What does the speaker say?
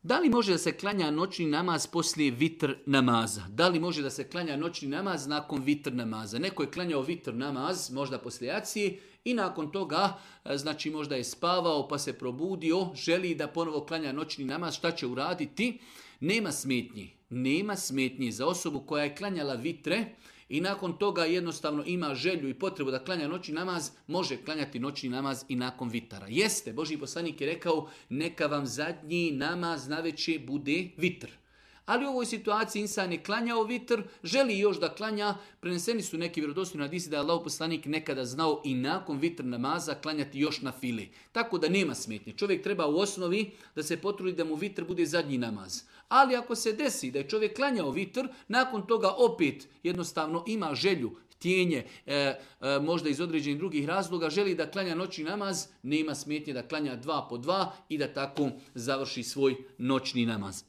Da li može da se klanja noćni namaz poslije vitr namaza? Da li može da se klanja noćni namaz nakon vitr namaza? Neko je klanjao vitr namaz, možda poslije jacije, i nakon toga, znači možda je spavao pa se probudio, želi da ponovo klanja noćni namaz, šta će uraditi? Nema smetnji. Nema smetnji za osobu koja je klanjala vitre i nakon toga jednostavno ima želju i potrebu da klanja noćni namaz, može klanjati noćni namaz i nakon vitara. Jeste, Božji poslanik je rekao, neka vam zadnji namaz navečer bude vitr. Ali u ovoj situaciji insan je klanjao vitr, želi još da klanja, preneseni su neki vjerodostojni hadisi da je Allahov poslanik nekada znao i nakon vitr namaza klanjati još na fili. Tako da nema smetnje. Čovjek treba u osnovi da se potrudi da mu vitr bude zadnji namaz. Ali ako se desi da je čovjek klanjao vitr, nakon toga opet jednostavno ima želju, htjenje, možda iz određenih drugih razloga, želi da klanja noćni namaz, nema smetnje da klanja 2 po 2 i da tako završi svoj noćni namaz.